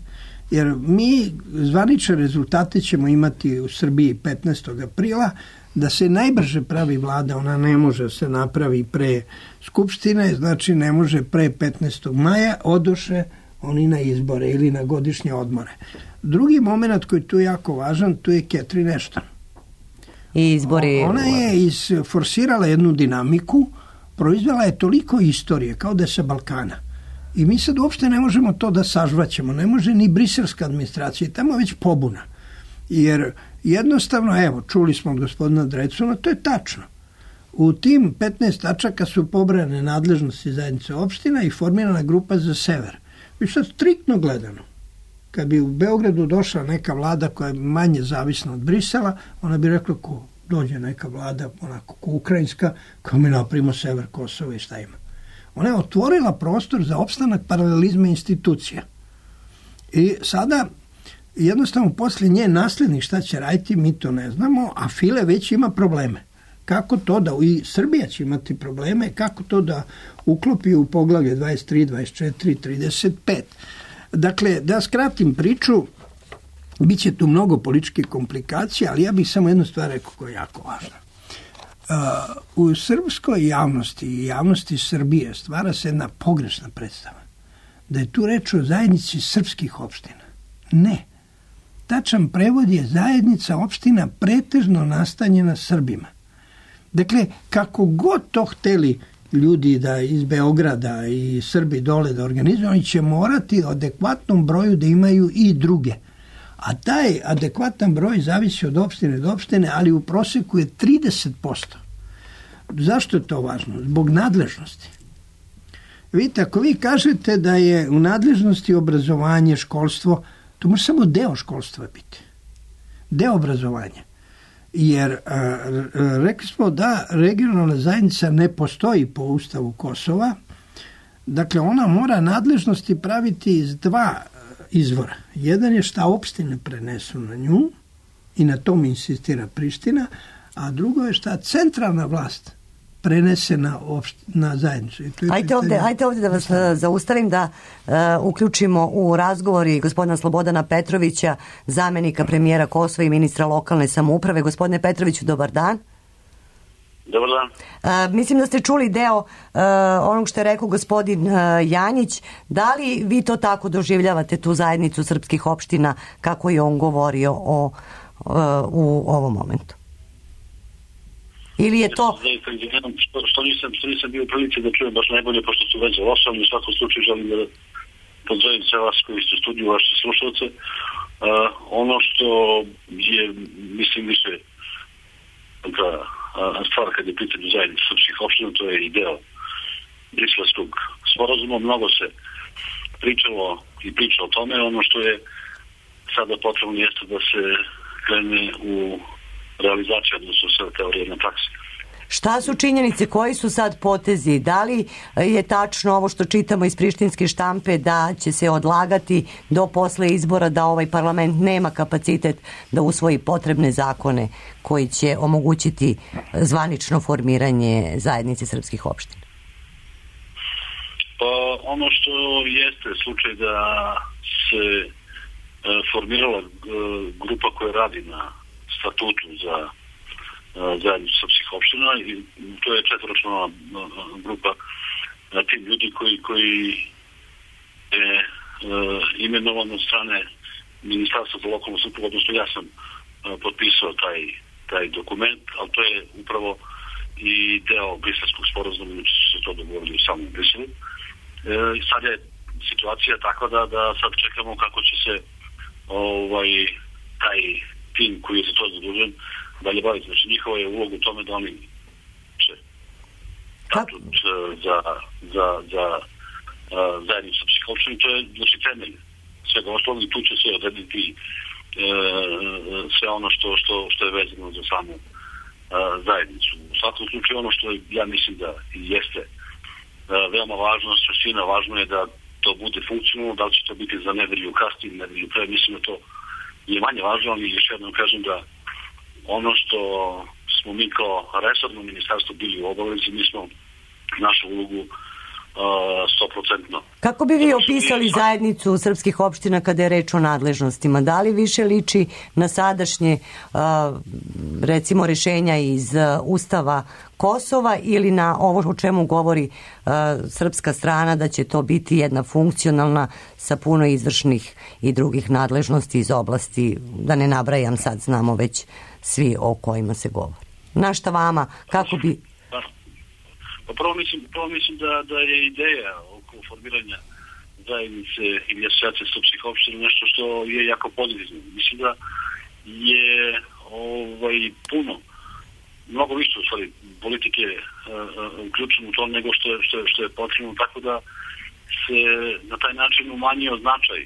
Jer mi zvanične rezultate ćemo imati u Srbiji 15. aprila, da se najbrže pravi vlada, ona ne može se napravi pre Skupštine, znači ne može pre 15. maja, odoše oni na izbore ili na godišnje odmore. Drugi moment koji je tu jako važan, tu je Catherine Ashton. I izbori... Ona je isforsirala jednu dinamiku, proizvela je toliko istorije, kao da je sa Balkana. I mi sad uopšte ne možemo to da sažvaćemo, ne može ni briselska administracija, tamo je već pobuna. Jer jednostavno, evo, čuli smo od gospodina Drecuna, to je tačno. U tim 15 tačaka su pobrane nadležnosti zajednice opština i formirana grupa za sever. I sad striktno gledano, kad bi u Beogradu došla neka vlada koja je manje zavisna od Brisela, ona bi rekla ko dođe neka vlada, onako ko ukrajinska, kao mi napravimo sever Kosova i šta ima. Ona je otvorila prostor za opstanak paralelizma institucija. I sada, jednostavno, poslije nje naslednik šta će raditi, mi to ne znamo, a File već ima probleme. Kako to da, i Srbija će imati probleme, kako to da uklopi u poglavlje 23, 24, 35. Dakle, da skratim priču, bit će tu mnogo političkih komplikacija, ali ja bih samo jednu stvar rekao koja je jako važna. U srpskoj javnosti i javnosti Srbije stvara se jedna pogrešna predstava. Da je tu reč o zajednici srpskih opština. Ne. Tačan prevod je zajednica opština pretežno nastanjena Srbima. Dakle, kako god to hteli ljudi da iz Beograda i Srbi dole da organizuju, oni će morati u adekvatnom broju da imaju i druge. A taj adekvatan broj zavisi od opštine do opštine, ali u proseku je 30%. Zašto je to važno? Zbog nadležnosti. Vidite, ako vi kažete da je u nadležnosti obrazovanje, školstvo, to može samo deo školstva biti. Deo obrazovanja. Jer rekli smo da regionalna zajednica ne postoji po Ustavu Kosova. Dakle, ona mora nadležnosti praviti iz dva izvora. Jedan je šta opštine prenesu na nju i na tom insistira Priština, a drugo je šta centralna vlast prenese na zajednicu. Ajde ovdje da vas zaustavim, da uključimo u razgovor i gospodina Slobodana Petrovića, zamjenika premijera Kosova i ministra lokalne samouprave. Gospodine Petroviću, dobar dan. Dobar dan. Mislim da ste čuli deo onog što je rekao gospodin Janjić. Da li vi to tako doživljavate, tu zajednicu srpskih opština, kako je on govorio u ovom momentu? Ili je to... Što nisam bio u prilici da čujem baš najbolje, pošto su već završali. U svakom slučaju želim da pozdravim sve vas koji ste u studiju, vaše slušalce. Ono što je, mislim, više stvar kad je pitanje zajednice srpskih opština, to je i deo Briselskog sporazuma. Mnogo se pričalo i priča o tome. Ono što je sada potrebno jeste da se krene u realizacija, odnosno sve teorije na praksi. Šta su činjenice, koji su sad potezi? Da li je tačno ovo što čitamo iz prištinske štampe da će se odlagati do posle izbora, da ovaj parlament nema kapacitet da usvoji potrebne zakone koji će omogućiti zvanično formiranje zajednice srpskih opština? Pa ono što jeste slučaj da se formirala grupa koja radi na statutu za zajednicu srpskih opština i to je četvoročlana grupa tim ljudi koji je imenovan od strane Ministarstva za lokalnu samoupravu, odnosno ja sam potpisao taj dokument, ali to je upravo i deo Briselskog sporazuma, znači su se to dogovorili u samom Briselu. Sad je situacija takva da sad čekamo kako će se taj tim koji je za to zadužen dalje baviti. Znači njihova je uloga u tome da oni će statut za zajednicu srpskih opština. To je znači temelj svega osnovno i tu će se odrediti sve ono što je vezano za samu zajednicu. U svakom slučaju ono što ja mislim da jeste veoma važno, svina važno je da to bude funkcionalno, da li će to biti za nedelju kasnije, nedelju pre, mislim da to je manje važno, ali još jednom kažem da ono što smo mi kao resorno ministarstvo bili u obavezi, mi smo našu ulogu 100%. Kako bi vi opisali zajednicu srpskih opština kada je reč o nadležnostima? Da li više liči na sadašnje recimo rešenja iz Ustava Kosova ili na ovo o čemu govori srpska strana, da će to biti jedna funkcionalna sa puno izvršnih i drugih nadležnosti iz oblasti, da ne nabrajam sad, znamo već svi o kojima se govori. Na šta vama, kako bi... Pa prvo mislim da je ideja oko formiranja zajednice ili asocijacije srpskih opština nešto što je jako pozitivno. Mislim da je mnogo više u stvari politike uključeno u to nego što je potrebno, tako da se na taj način umanjio značaj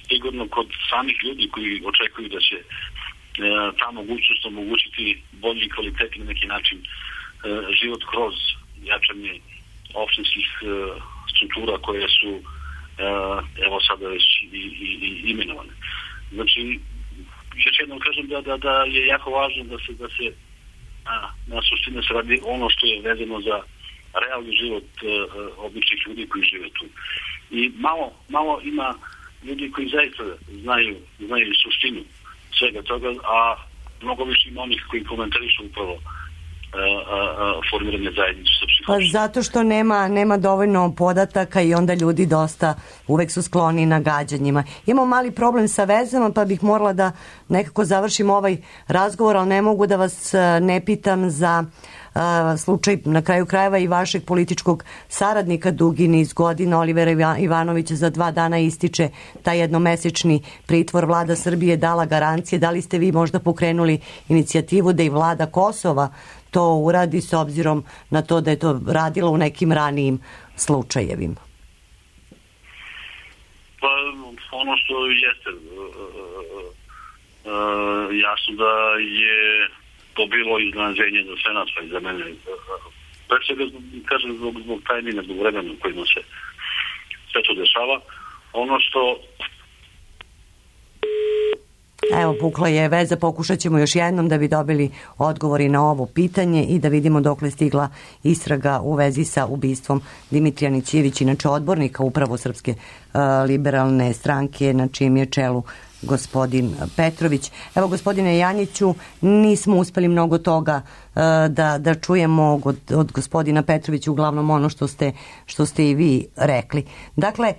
sigurno kod samih ljudi koji očekuju da će ta mogućnost omogućiti bolji i kvalitetni na neki način život kroz jačanje opštinskih struktura koje su evo sada već i imenovane. Znači, još jednom kažem da je jako važno da se na suštine se radi ono što je vezano za realni život običnih ljudi koji žive tu. I malo ima ljudi koji zaista znaju suštinu svega toga, a mnogo više ima onih koji komentarišu upravo formiranje zajednice srpskih opština. Pa zato što nema dovoljno podataka i onda ljudi dosta uvek su skloni nagađanjima. Imamo mali problem sa vezama, pa bih morala da nekako završim ovaj razgovor, ali ne mogu da vas ne pitam za slučaj na kraju krajeva i vašeg političkog saradnika dugi niz godina, Olivera Ivanovića. Za 2 dana ističe taj jednomesečni pritvor. Vlada Srbije dala garancije. Da li ste vi možda pokrenuli inicijativu da i vlada Kosova to uradi s obzirom na to da je to radila u nekim ranijim slučajevima? Pa ono što jeste jasno da je to bilo iznenađenje za sve nas, pa i za mene. Pre svega, kažem, zbog tajmina, zbog vremena u kojima se sve to dešava. Ono što... Evo, pukla je veza, pokušat ćemo još jednom da bi dobili odgovori na ovo pitanje i da vidimo dokle stigla istraga u vezi sa ubistvom Dimitrija Nićijević, inače odbornika upravo Srpske liberalne stranke, na čijem je čelu gospodin Petrović. Evo, gospodine Janjiću, nismo uspeli mnogo toga da čujemo od gospodina Petrovića, uglavnom ono što ste i vi rekli. Dakle,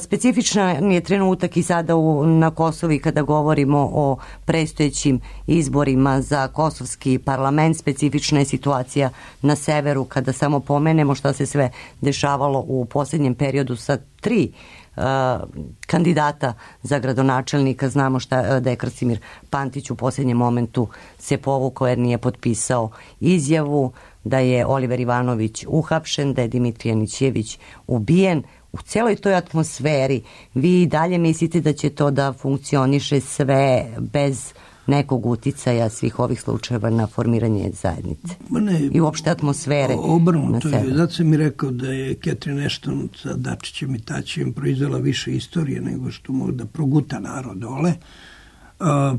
specifičan je trenutak i sada na Kosovi kada govorimo o predstojećim izborima za kosovski parlament. Specifična je situacija na severu kada samo pomenemo šta se sve dešavalo u posljednjem periodu sa 3 kandidata za gradonačelnika. Znamo da je Krasimir Pantić u posljednjem momentu se povukao jer nije potpisao izjavu, da je Oliver Ivanović uhapšen, da je Dimitrije Nićijević ubijen. U celoj toj atmosferi vi dalje mislite da će to da funkcioniše sve bez nekog uticaja svih ovih slučajeva na formiranje zajednice i uopšte atmosfere? Obrnuto je. Zato sam mi rekao da je Catherine Ashton sa Dačićem i Tačićem proizvela više istorije nego što može da proguta narod dole.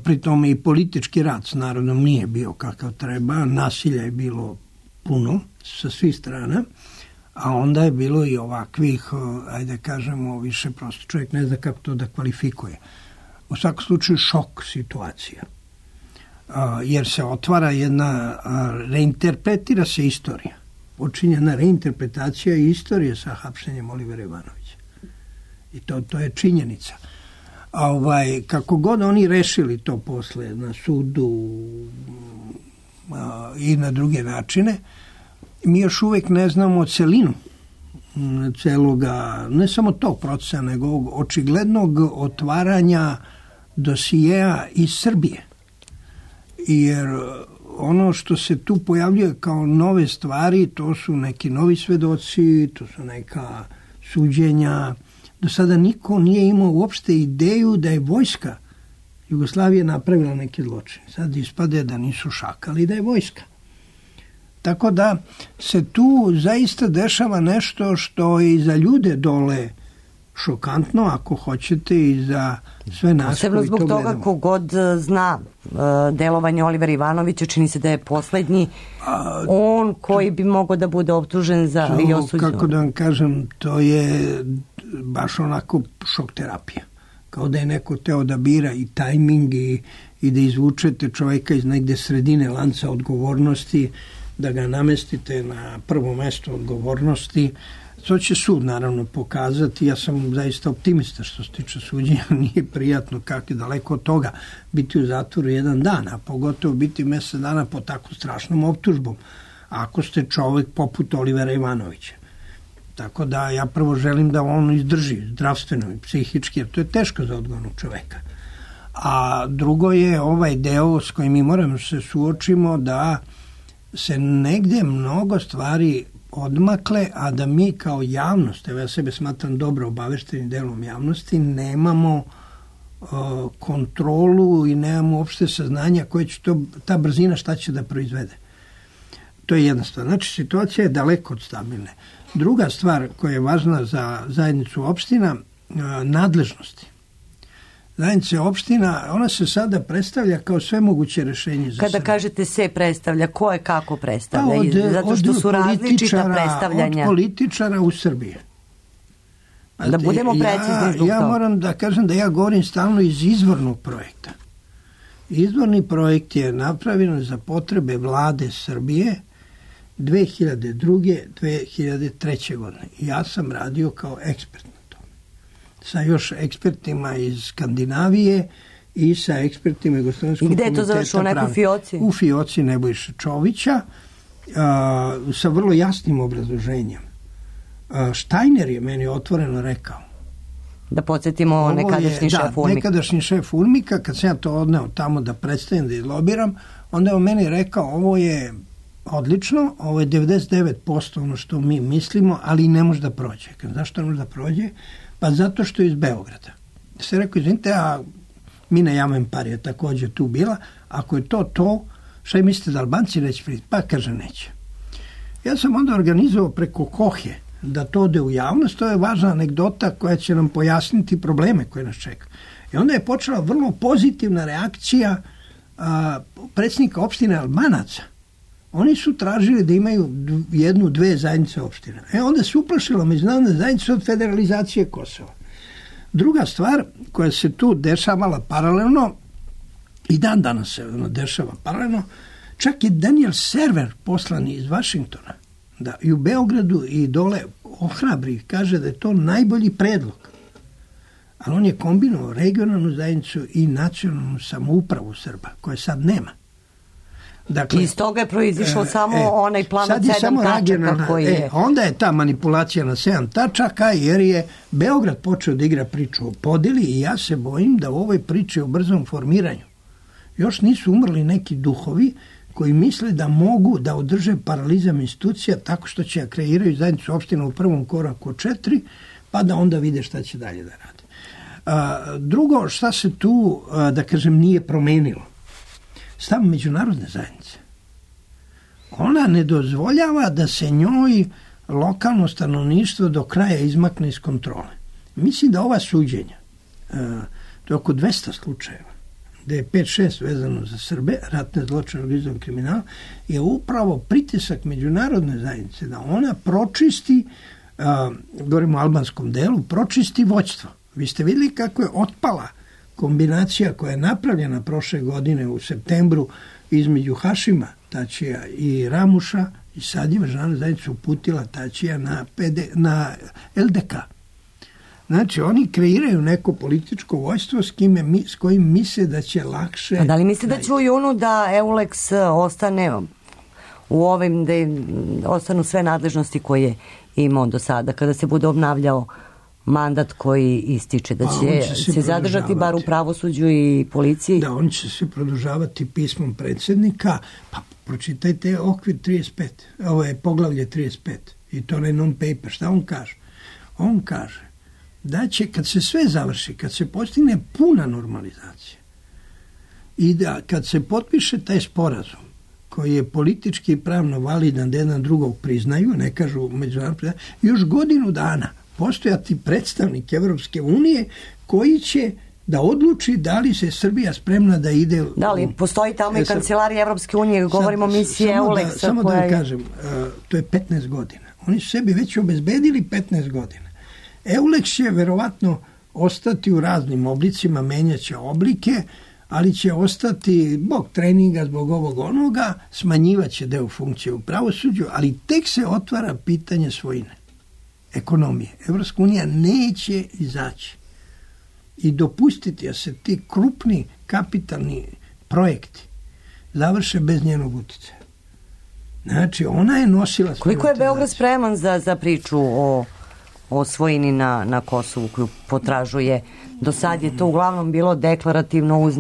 Pritom i politički rat s narodom nije bio kakav treba. Nasilja je bilo puno sa svih strana, a onda je bilo i ovakvih, ajde kažemo, više prosto čovjek ne zna kako to da kvalifikuje. U svakom slučaju šok situacija. Jer se otvara jedna, reinterpretira se istorija. Počinjena reinterpretacija istorije sa hapšenjem Olivera Ivanovića. I to je činjenica. Kako god oni rešili to posle na sudu i na druge načine, mi još uvijek ne znamo celinu celoga, ne samo tog procesa, nego očiglednog otvaranja dosijeja iz Srbije. Jer ono što se tu pojavljuje kao nove stvari, to su neki novi svedoci, to su neka suđenja. Do sada niko nije imao uopšte ideju da je vojska Jugoslavije napravila neki zločin. Sad ispade da nisu šakali, da je vojska. Tako da se tu zaista dešava nešto što je i za ljude dole šokantno, ako hoćete, i za sve nas posebno koji to zbog gledamo. toga kogod zna delovanje Olivera Ivanovića, čini se da je poslednji on koji bi mogao da bude optužen za i osuđen. Kako da vam kažem, to je baš onako šok terapija. Kao da je neko teo da bira i tajming i da izvučete čovjeka iz negde sredine lanca odgovornosti, da ga namestite na prvo mesto odgovornosti. To će sud naravno pokazati. Ja sam zaista optimista što se tiče suđenja. Nije prijatno, kako je daleko od toga biti u zatvoru jedan dan, a pogotovo biti mjesec dana po tako strašnom optužbom, ako ste čovjek poput Olivera Ivanovića. Tako da ja prvo želim da on izdrži zdravstveno i psihički, jer to je teško za odgovornog čovjeka. A drugo je ovaj deo s kojim mi moramo se suočimo, da se negdje mnogo stvari odmakle, a da mi kao javnost, evo ja sebe smatram dobro obaveštenim delom javnosti, nemamo kontrolu i nemamo uopšte saznanja koje će ta brzina šta će da proizvede. To je jedna stvar. Znači, situacija je daleko od stabilne. Druga stvar koja je važna za zajednicu opština, nadležnosti. Zajednica opština, ona se sada predstavlja kao sve moguće rešenje za Kada Srbiju. kažete se predstavlja, ko je kako predstavlja? Zato što su različita predstavljanja. Od političara u Srbiji. Da budemo precizni zbog ja toga. moram da kažem da ja govorim stalno iz izvornog projekta. Izvorni projekt je napravljen za potrebe vlade Srbije 2002. 2003. godine. Ja sam radio kao ekspert na tome. Sa još ekspertima iz Skandinavije i sa ekspertima Jugoslovenskog komiteta. I gde je to završilo, neku fioci? U fioci Nebojše Čovića, sa vrlo jasnim obrazloženjem. Štajner je meni otvoreno rekao. Da podsjetimo nekadašnji šef UNMIK. Nekadašnji šef UNMIK-a, kad sam ja to odneo tamo da predstavim, da izlobiram, onda je on meni rekao, ovo je odlično, ovo je 99% ono što mi mislimo, ali ne može da prođe. Zašto ne može da prođe? Pa zato što je iz Beograda. Se rekao, izvinite, a Mina Jamenpar je također tu bila, ako je to, šta i mislite da Albanci neće priti? Pa kaže neće. Ja sam onda organizovao preko Kohe da to ode u javnost, to je važna anegdota koja će nam pojasniti probleme koje nas čeka. I onda je počela vrlo pozitivna reakcija predsjednika opštine Albanaca. Oni su tražili da imaju 1-2 zajednice opština. Onda se uplašila međunarodna zajednica od federalizacije Kosova. Druga stvar koja se tu dešavala paralelno, i dan danas se dešava paralelno, čak je Daniel Server poslani iz Vašingtona, da i u Beogradu i dole ohrabri, kaže da je to najbolji predlog. Ali on je kombinovao regionalnu zajednicu i nacionalnu samoupravu Srba, koje sad nema. Dakle, iz toga je proizišao samo onaj plan od 7 tačaka koji je... Onda je ta manipulacija na 7 tačaka, jer je Beograd počeo da igra priču o podeli i ja se bojim da u ovoj priči o brzom formiranju još nisu umrli neki duhovi koji misle da mogu da održe paralizam institucija tako što će kreiraju zajednicu opština u prvom koraku od 4, pa da onda vide šta će dalje da rade. Drugo, šta se tu, da kažem, nije promenilo? Stav međunarodne zajednice. Ona ne dozvoljava da se njoj lokalno stanovništvo do kraja izmakne iz kontrole. Mislim da ova suđenja, to je oko 200 slučajeva, da je 5-6 vezano za Srbe, ratne zločine, organizovan kriminal, je upravo pritisak međunarodne zajednice da ona pročisti, govorimo o albanskom delu, pročisti vođstvo. Vi ste vidjeli kako je otpala kombinacija koja je napravljena prošle godine u septembru između Hašima Tačija i Ramuša, i sad je međunarodna zajednica uputila Tačija na LDK. Znači, oni kreiraju neko političko vojstvo s kojim misle da će lakše... A da li misle da će u junu da EULEX ostane u ovim, da ostanu sve nadležnosti koje je imao do sada, kada se bude obnavljao mandat koji ističe, da će se zadržati bar u pravosuđu i policiji? Da, oni će se produžavati pismom predsjednika, pa pročitajte okvir 35, ovo je poglavlje 35 i to je non-paper. Šta on kaže? On kaže da će, kad se sve završi, kad se postigne puna normalizacija i da kad se potpiše taj sporazum koji je politički i pravno validan da jedan drugog priznaju, ne kažu međunarodno, još godinu dana postojati predstavnik Evropske unije koji će da odluči da li se Srbija spremna da ide... Da li postoji tamo i kancelarija Evropske unije, govorimo o misiji EULEX-a. Samo da vam kažem, to je 15 godina. Oni su sebi već obezbedili 15 godina. EULEX će verovatno ostati u raznim oblicima, menjaće oblike, ali će ostati zbog treninga, zbog ovog onoga, smanjivaće deo funkcije u pravosuđu, ali tek se otvara pitanje svojine, ekonomije. Evropska unija neće izaći i dopustiti da se ti krupni kapitalni projekti završe bez njenog utjecaja. Znači, ona je nosila... Koliko je Beograd spreman za priču o svojini na Kosovu koju potražuje? Do sad je to uglavnom bilo deklarativno uz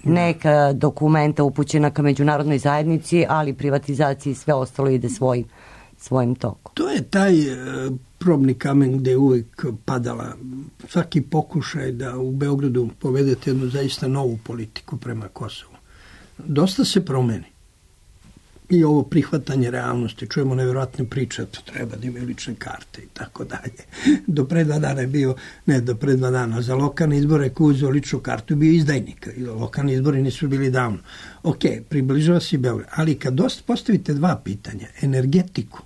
neka dokumenta upućena ka međunarodnoj zajednici, ali privatizaciji sve ostalo ide svojim tokom. To je taj probni kamen gde je uvijek padala svaki pokušaj da u Beogradu povedete jednu zaista novu politiku prema Kosovu. Dosta se promeni. I ovo prihvatanje realnosti, čujemo nevjerojatne priče, to treba da imaju lične karte i tako dalje. Do pre 2 dana je bio, do pre 2 dana, za lokalne izbore ko uzeo ličnu kartu je bio izdajnik. Lokalni izbori nisu bili davno. Ok, približava se i Beograd. Ali kad postavite 2 pitanja, energetiku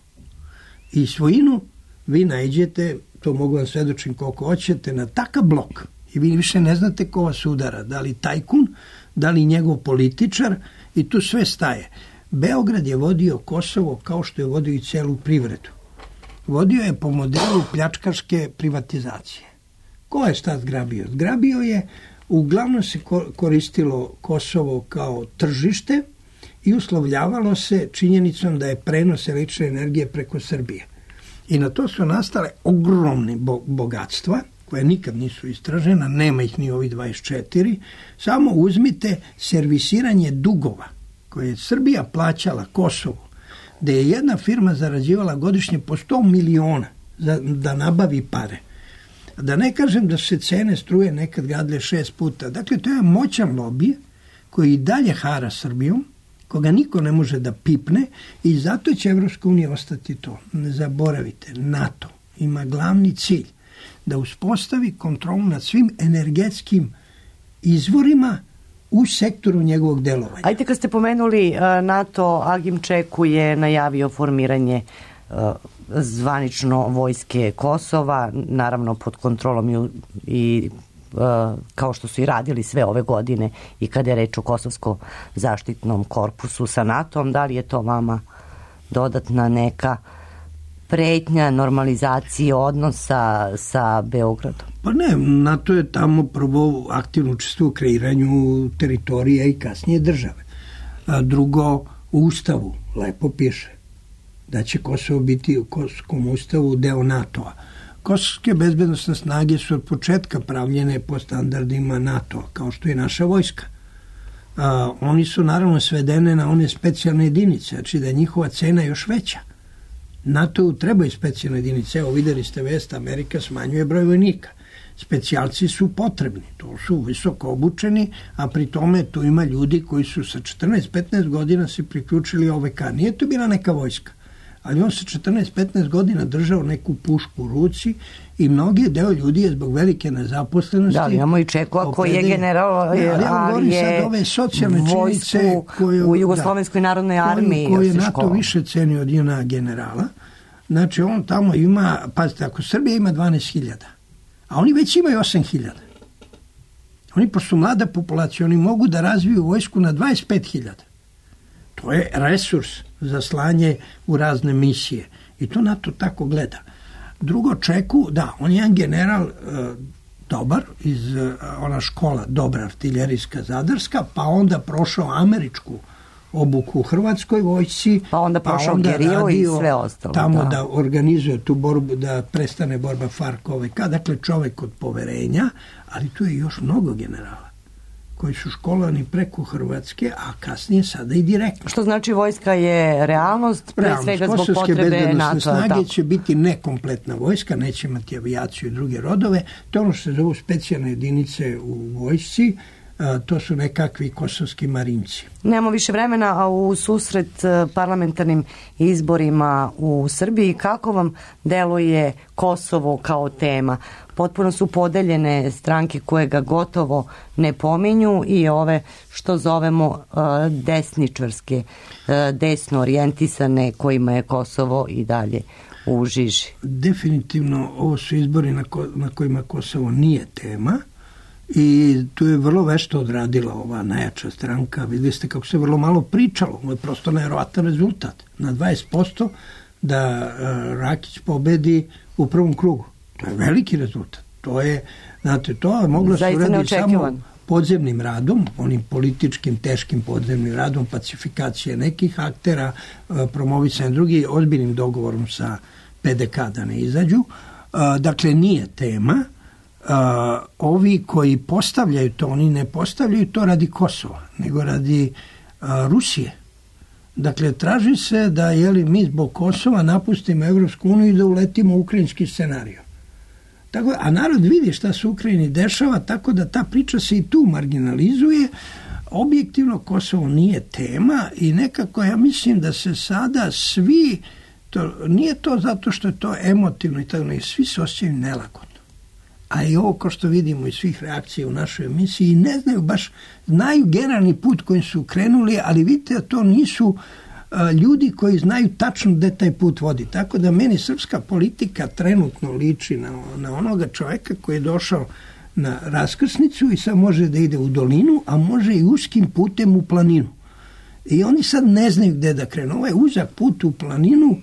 i svojinu, vi naiđete, to mogu vam svedočiti koliko hoćete, na takav blok. I vi više ne znate ko vas udara. Da li tajkun, da li njegov političar, i tu sve staje. Beograd je vodio Kosovo kao što je vodio i celu privredu. Vodio je po modelu pljačkaške privatizacije. Ko je šta zgrabio? Zgrabio je, uglavnom se koristilo Kosovo kao tržište i uslovljavalo se činjenicom da je prenos električne energije preko Srbije. I na to su nastale ogromne bogatstva, koje nikad nisu istražena, nema ih ni ovi 24, samo uzmite servisiranje dugova koje je Srbija plaćala Kosovu da je jedna firma zarađivala godišnje po 100 miliona da nabavi pare. Da ne kažem da se cene struje nekad gadle 6 puta. Dakle, to je moćan lobij koji i dalje hara Srbijom, koga niko ne može da pipne i zato će Evropska unija ostati to. Ne zaboravite, NATO ima glavni cilj da uspostavi kontrolu nad svim energetskim izvorima u sektoru njegovog delovanja. Ajde, kad ste pomenuli NATO, Agim Čeku je najavio formiranje zvanično vojske Kosova, naravno pod kontrolom i kao što su i radili sve ove godine i kada je reč o Kosovskom zaštitnom korpusu sa NATO-om. Da li je to vama dodatna neka pretnja normalizacije odnosa sa Beogradom? Pa ne, NATO je tamo prvo aktivno učestvuje u kreiranju teritorija i kasnije države. Drugo, u Ustavu lepo piše da će Kosovo biti u Kosovskom ustavu deo NATO-a. Kosovske bezbednostne snage su od početka pravljene po standardima NATO, kao što je naša vojska. Oni su naravno svedene na one specijalne jedinice, znači da je njihova cena još veća. NATO-u trebaju specijalne jedinice. Evo, videli ste vest, Amerika smanjuje broj vojnika. Specijalci su potrebni, to su visoko obučeni, a pri tome tu ima ljudi koji su sa 14-15 godina se priključili OVK. Nije to bila neka vojska, ali on sa 14-15 godina držao neku pušku u ruci i mnogi deo ljudi je zbog velike nezaposlenosti. Da, imamo i Čekova koji je general, ali je vojsku u Jugoslovenskoj narodnoj armiji. Koji je NATO više cenio od JNA generala. Znači on tamo ima, pazite, ako Srbija ima 12.000, a oni već imaju 8.000. Oni, pošto su mlada populacija, oni mogu da razviju vojsku na 25.000. To je resurs za slanje u razne misije. I to NATO tako gleda. Drugo, Čeku, da, on je jedan general dobar, iz ona škola dobra artiljerijska zadarska, pa onda prošao američku obuku u Hrvatskoj vojsci, pa onda prošao gerilu i sve ostalo. Tamo da organizuje tu borbu, da prestane borba FARC-OVK, dakle čovek od poverenja, ali tu je još mnogo generala koji su školovani preko Hrvatske, a kasnije sada i direktno. Što znači vojska je realnost, pre svega zbog potrebe NATO. Snage će biti nekompletna vojska, neće imati avijaciju i druge rodove. To je ono što se zovu specijalne jedinice u vojsci, to su nekakvi kosovski marinci. Nemamo više vremena, a u susret parlamentarnim izborima u Srbiji, kako vam deluje Kosovo kao tema? Potpuno su podeljene stranke koje ga gotovo ne pominju i ove što zovemo desničarske, desno orijentisane, kojima je Kosovo i dalje u žiži. Definitivno ovo su izbori na kojima Kosovo nije tema. I tu je vrlo vešto odradila ova najjača stranka. Vidjeli ste kako se vrlo malo pričalo. Ovo je prosto nevjerovatan rezultat. Na 20% da Rakić pobedi u prvom krugu. To je veliki rezultat. To je, znate, to je moglo se uraditi samo podzemnim radom, onim političkim, teškim podzemnim radom, pacifikacije nekih aktera, promovisanje drugih, ozbiljnim dogovorom sa PDK da ne izađu. Dakle, nije tema. Ovi koji postavljaju to, oni ne postavljaju to radi Kosova, nego radi Rusije. Dakle, traži se da mi zbog Kosova napustimo Evropsku uniju i da uletimo u ukrajinski scenariju. Tako, a narod vidi šta se u Ukrajini dešava, tako da ta priča se i tu marginalizuje. Objektivno Kosovo nije tema i nekako ja mislim da se sada svi, nije to zato što je to emotivno i tako, ne, svi se osjećaju nelagodno. A i ovo, kao što vidimo iz svih reakcija u našoj emisiji, ne znaju baš, znaju generalni put kojim su krenuli, ali vidite da to nisu ljudi koji znaju tačno gde taj put vodi. Tako da meni srpska politika trenutno liči na onoga čoveka koji je došao na raskrsnicu i sad može da ide u dolinu, a može i uskim putem u planinu. I oni sad ne znaju gde da krenu. Ovaj uzak put u planinu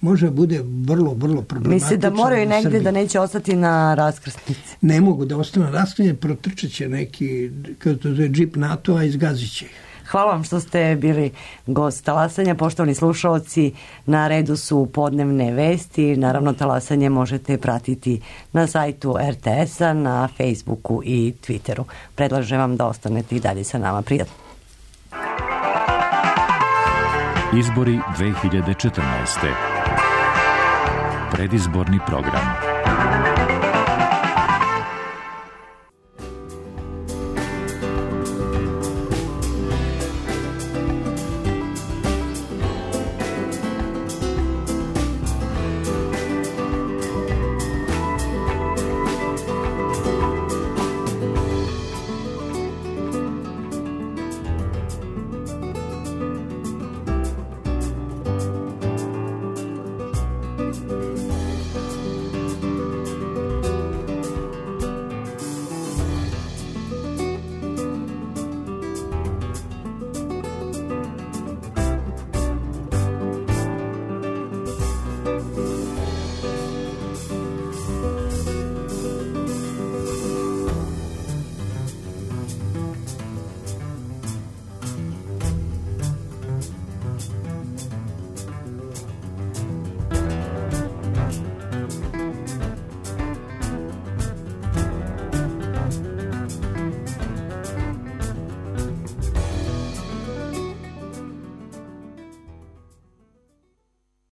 može bude vrlo, vrlo problematično. Misli da moraju negdje da neće ostati na raskrsnici? Ne mogu da ostane na raskrsnici, protrčat će neki, kada to zove džip NATO-a, izgazit će ih. Hvala vam što ste bili gost Talasanja. Poštovani slušalci, na redu su podnevne vesti. Naravno, Talasanje možete pratiti na sajtu RTS-a, na Facebooku i Twitteru. Predlažem vam da ostanete i dalje sa nama. Prijatno. Izbori 2014. Predizborni program.